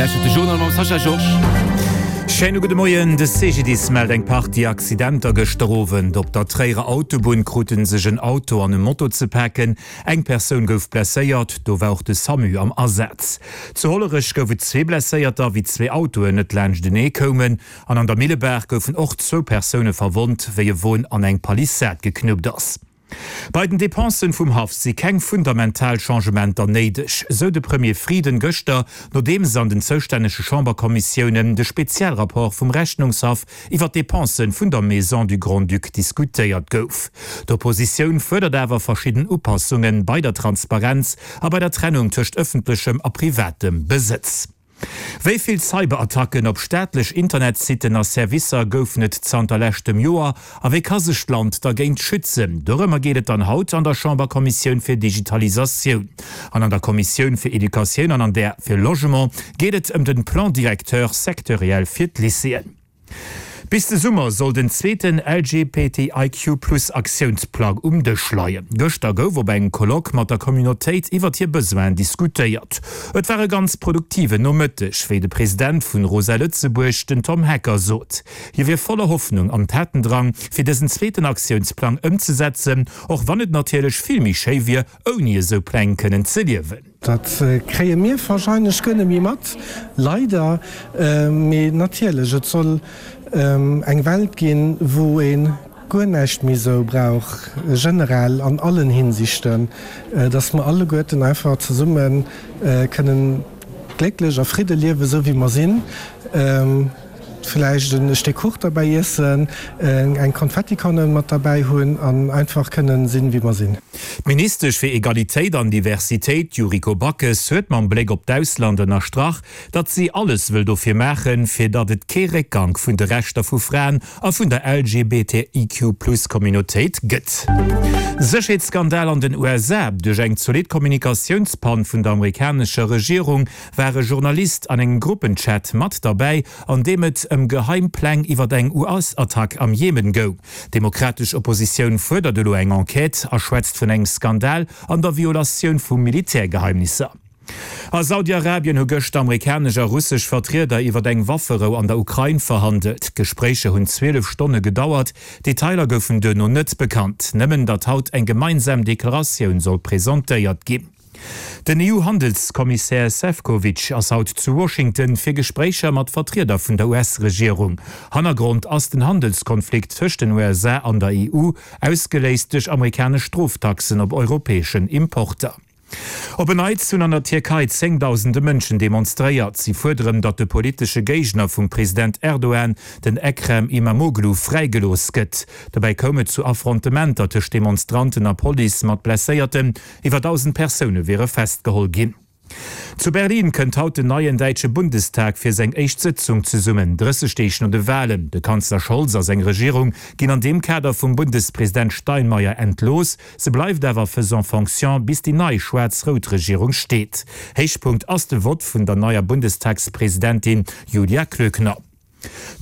lauschtert de Journal mam Sascha Georges. Schéine gudde Moien. De CGDIS mellt eng Partie Accidenter gëschter Owend. Op der Tréierer Autobunn krute sech en Auto an e Moto ze paken. Eng Persoun gouf blesséiert, do war och de Samu am Asaz. Zu Hollerech gouf et zwee Blesséierter, wéi zwee Autoen net laanschtenee koumen. An an der Millebaach goufen och zwou Persoune verwonnt, wéi e Won an eng Palissad geknuppt ass. Bei den Depensen vum Haff si keng fundamental Changementer néideg, sou de Premier Frieden gëschter, nodeems an den zoustännege Chamberkommissiounen de Spezialrapport vum Rechnungshaff iwwer d'Depensen vun der Maison du Grand-Duc diskutéiert gouf. D'Oppositioun fuerdert awer verschidden Upassunge bei der Transparenz a bei der Trennung tëscht ëffentlechem a privatem Besëtz. Wéi vill Cyberattacken op staatlech Internetsitten a Servicer goufen et zanter leschtem Joer a wéi ka sech d'Land dergéint schützen? Dorëmmer geet et dann haut an der Chamberkommissioun fir Digitalisatioun. An an der Kommissioun fir Educatioun an an där fir Logement geet et ëm den Plan directeur sectoriel fir d'Lycéeën. Bis de Summer soll den zweeten LGBTIQ-Plus-Aktiounsplang um Dësch leien. Gëschter gouf op engem Colloque mat der Communautéit iwwert hir Besoinen diskutéiert. Et war e ganz produktiven Nomëtteg, wéi de President vun Rosa Lëtzebuerg, den Tom Hecker sot. Hie wier voller Hoffnung an Tatendrang, fir dësen zweeten Aktiounsplang ëmzesetzen, och wann et natierlech vill méi schéi wier, ouni esou Pläng kënnen ze liewen. Dat kréie mir warscheinlech guer net méi mat, leider. Mee natierlech, et soll eng Welt ginn, wou ee guer näischt méi esou brauch, generell an allen Hinsichten, dass mer alleguerten einfach zesumme kënnen glécklech a Fridde liewen, esou wéi mer sinn. Vläicht e Stéck Kuch derbäi iessen, eng Konfettikanoun mat derbäi hunn an einfach kënnen sinn, wéi mer sinn. D'Ministesch fir Egalitéit an Diversitéit, Yuriko Backes, huet mam Bléck op d'Ausland ënnerstrach, datt si alles wëll dofir maachen, fir datt et kee Réckgank vun de Rechter vu Fraen a vun der LGBTIQ-Plus-Communautéit gëtt. Sécherheetsskandal an den USA, Duerch eng zolidd Kommunikatiounspann vun der amerikanescher Regierung war e Journalist an engem Gruppenchat mat derbäi, an deem et ëm geheim Pläng iwwer eng US-Attack am Jemen goung. D'demokratesch Oppositioun fuerdert elo eng Enquête a schwätzt vun engem Skandal an der Violatioun vu Militärgeheimnisser. A Saudi-Arabien hu gëschter amerikanesch a russesch Vertrieder iwwer eng Wafferou an der Ukrain verhandelt. D'Gespréicher hunn 12 Stonne gedauert. Detailer goufen duerno net bekannt, nëmmen datt haut eng gemeinsam Deklaratioun soll presentéiert ginn. Den EU-Handelskommissär Sefcovic ass haut zu Washington fir Gespréicher mat Vertrieder vun der US-Regierung. Hannergrond ass den Handelskonflikt tëscht den USA an der EU, ausgeléist duerch amerikanesch Stroftaxen op europäeschen Importer. Op en Neits hunn an der Tierkei zéngdausende Mënschen demonstréiert. Si fuerderen, datt de politesche Géigner vum President Erdogan, den Ekrem Imamoglu, fräigelooss gëtt. Dobäi koum et zu Affrontementer tëscht Demonstranten a Police mat Blesséierten. Iwwer 1.000 Persoune wiere festgeholl ginn. Zu Berlin kënnt haut den neien däitsche Bundestag fir seng éischt Sëtzung zesummen, 30 Deeg no de Walen. De Kanzler Scholz a seng Regierung ginn an deem Kader vum Bundespresident Steinmeier entlooss. Se bleift awer faisant fonction, bis déi nei schwaarz-rout Regierung steet. Héichpunkt ass de Vott vun der neier Bundestagspresidentin Julia Klöckner.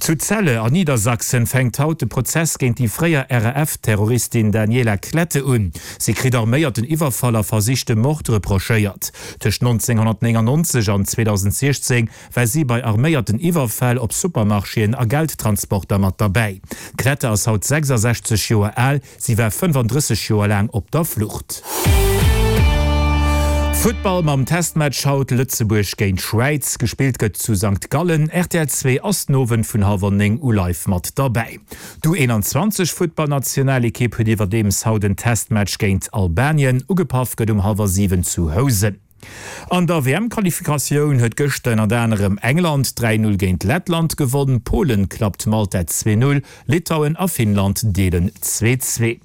Zu Celle an Niedersachsen fänkt haut de Prozess géint déi fréier RAF-Terroristin Daniela Klette un. Si kritt arméierten Iwwerfall a versichte Mord reprochéiert. Tëscht 1999 an 2016 war si bei arméierten Iwwerfäll op Supermarchéen a Geldtransporter mat derbäi. D'Klette ass haut 66 Joer al. Si war 35 Joer laang op der Flucht. Futtball mam Testmatch haut, Lëtzebuerg géint Schwäiz. Gespillt gëtt zu Sankt Gallen. Rtl 2 ass den Owend vun hallwer 9 u live mat derbäi. D'U21 Futtballnationalekipp huet iwwerdeems haut en Testmatch géint Albanien. Ugepaff gëtt um hallwer 7 zu Housen. An der WM-Qualifikatioun huet gëschter ënnert anerem England 3, 0 géint Lettland gewonn, Polen klappt Malta 2, 0, Litauen a Finnland deelen 2, 2.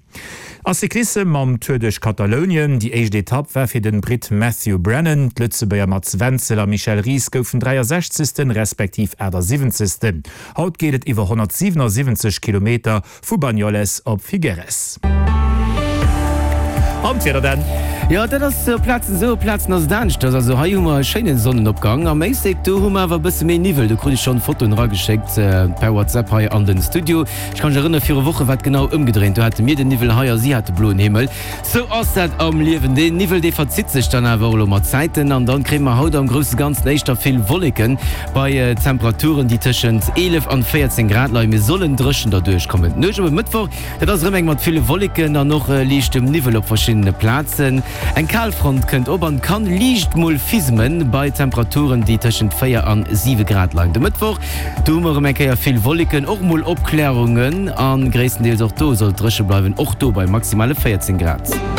A Cyclissem mam Tour duerch Katalounien, Déi éischt Etapp war fir den Britt Matthew Brennan. D'Lëtzebuerger Mats Wenzel a Michel Ries goufen 63. Respektiv 78. Haut geet et iwwer 177 Kilometer Vu Banyoles op Figueres. An d'Wieder dann? Jo, dat ass op Plazen esou, op Plazen ass et aneschters. Also hei hu mer e schéine Sonnenopgang. Am Éislek, do hu mer awer e bësse méi Niwwel. Do krut ech schonn Fotoen erageschéckt per WhatsApp hei an den Studio. Ech kann mech erënnere viru Woche war et genau ëmgedréint. Do hate mir den Niwwel hei a si hate bloen Himmel. Sou ass dat am Liewen. Deen Niwwel, dee verzitt sech dann awer och elo mat Zäiten an dann kréie mer haut am grousse Ganzen éischter vill Wolleken bei Temperaturen, déi tëschent 11 an 14 Grad leien. Mir sollen dréchen derduerch kommen. D'Nuecht op e Mëttwoch, dat ass erëm eng mat ville Wolleken an och liichtem Niwwel op verschiddene Plazen. Eng Kalfront kënnt op an kann liicht mol fismen bei Temperaturen, déi tëschent 4 an 7 Grad leien. De Mëttwoch, do hu mer erëm eng Kéier vill Wolleken, och mol Opklärungen a gréisstendeels och do soll et dréche bleiwen, och do bei maximale 14 Grad.